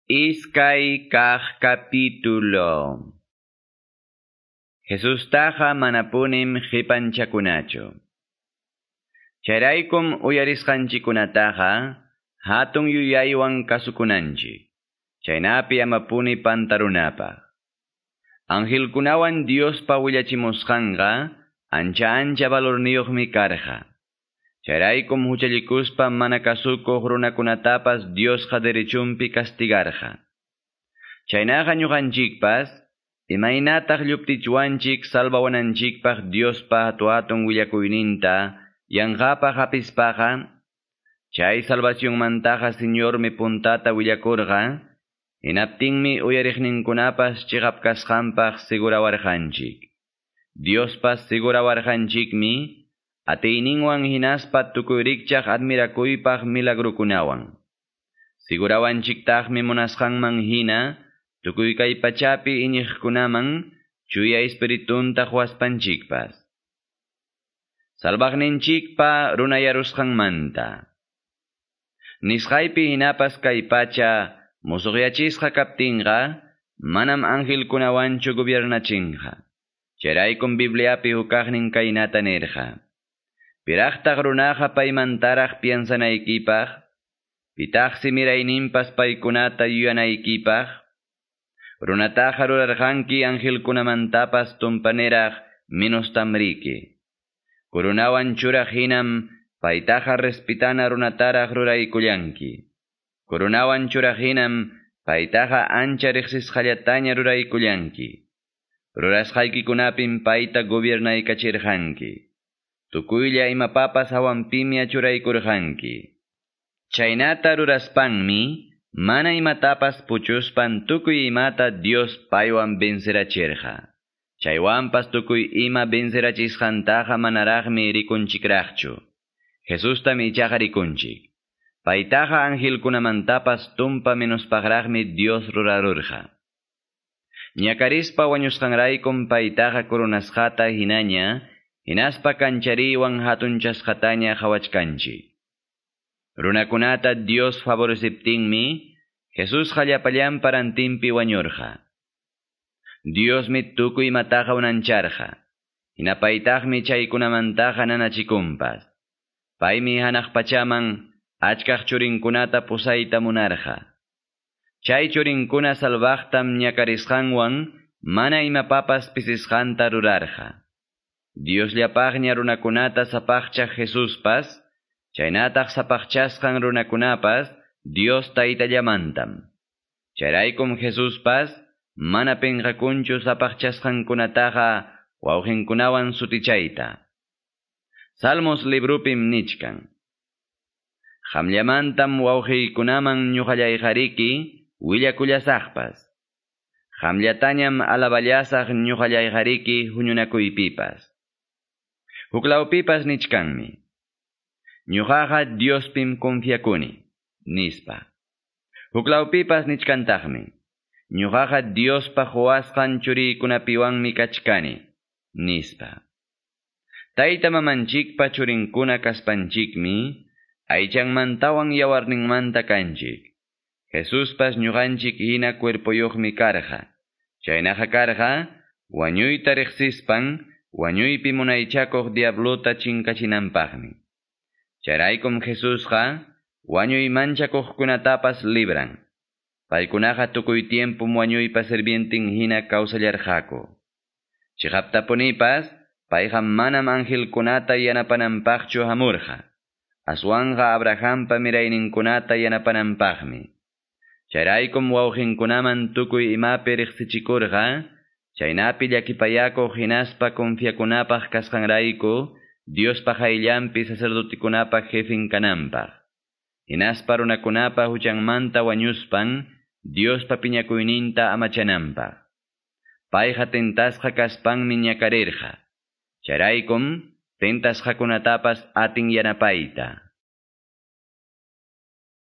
Iskay kaq capítulo. Jesustaqa manapunim qipanchakunachu. Chayraykum uyarisqanchikkunataqa hatun yuyaywan kasukunanchik. Chaynapi amapuni pantarunapaq. Angelkunawan Diospa willachimusqanqa ancha ancha valorniyuqmi karqa. Chayraykum huchallikuspa mana kasukuq runakunatapas Diosqa derechunpi castigarqa. Chaynaqa ñuqanchikpas, imaynataq lluptichwanchik salvawananchikpaq Diospa hatu-hatun willakuyninta yanqapaq hapispaqa, chay salvacionmantaqa Señormi puntata willakurqa, hinaptinmi uyariqninkunapas chiqap kasqanpaq sigurawarqanchik. Diospas sigurawarqanchikmi, atiyninwan hinaspa tukuy rikchaq admirakuypaq milagrukunawan. Sigurawanchiktaqmi munasqanman hina, tukuy kay pachapi iñiqkunaman chuya espiritunta quwaspanchikpas. Salvaqninchikpa runayarusqanmanta. Nisqaypi hinapas kay pacha musuqyachisqa kaptinqa, manam angelkunawanchu gobiernachinqa. Chayraykum Bibliapi hukaqnin kaynata nirqa. Piraqtaq runaqa paymantaraq piensanaykipaq, pitaqsi mirayninpas paykunata yuyanaykipaq, runataqa rurarqanki angelkunamantapas tumpaniraq menostamriki. Kurunawan churaq hinam paytaqa respitana runataraq ruraykullanki. Kurunawan churaq hinam paytaqa ancha riqsisqallataña ruraykullanki. Rurasqaykikunapim payta gobiernaykacherqanki. Tukuylla imapapas hawanpimia churaykurqanki. Chaynata ruraspanmi, mana imatapas puchuspan tukuy imata Dios paywan vencerachirqa. Chaywanpas tukuy ima vencerachisqantaqa manaraqmi rikunchikraqchu. Jesustam ichaqa rikunchik. Paytaqa angelkunamantapas tumpa menospaqraqmi Dios rurarurqa. Ñakarispa wañusqanraykum paytaqa coronasqata hinaña, hinaspa kanchariwan hatunchasqataña qhawachkanchik. Runakunata Dios favoreciptinmi, Jesusqa llapallanpa rantinpi wañurqa. Diosmi tukuy imataqa unancharqa. Hinapaytaqmi chaykunamantaqa nanachikunpas. Paymi hanaq pachaman achkaq churinkunata pusayta munarqa. Chay churinkuna salvaqtam ñakarisqanwan mana imapapas pisisqanta rurarqa. Diosllapaqña runakunata sapaqchaq Jesuspas, chaynataq sapaqchasqan runakunapas Dios taytallamantam. Chayraykum Jesuspas mana pinqakunchu sapaqchasqankunataqa wawqinkunawan sutichayta. Salmos librupim nichkan. Qamllamantam wawqiykunaman ñuqallayqariki willakullasaqpas. Qamllatañam alaballasaq ñuqallayqariki huñunakuypipas. Huklawpipas nichkanmi. Ñuqaqa Diospim confiakuni, nispa. Huklawpipas nichkantaqmi. Ñuqaqa Diospa quwasqan churiykunapiwanmi kachkani, nispa. Tayta mamanchikpa churinkuna kaspanchikmi, aychanmantawan yawarninmanta kanchik. Jesuspas ñuqanchik hina cuerpoyuqmi karqa. Chaynaqa karqa, wañuyta riqsispan, wañuypi munaychakuq diablota chinkachinanpaqmi. Chayraykum Jesusqa, wañuy manchakuqkunatapas libran. Paykunaqa tukuy tiempum wañuypa sirvientin hina kawsallarqaku. Chiqaptapunipas, payqa manam angelkunata yanapananpaqchu hamurqa. Aswanqa Abrahampa mirayninkunata yanapananpaqmi. Chayraykum wawqinkunaman tukuy imapi riqsichikurqa, chaynapi llakipayakuq hinaspa confiakunapaq kasqanrayku, Diospa qayllanpi sacerdotikunapa jefin kananpaq. Hinaspa runakunapa huchanmanta wañuspan, Diospa piñakuyninta amachananpaq. Payqa tentasqa kaspanmi ñakarirqa. Chayraykum tentasqakunatapas atin yanapayta.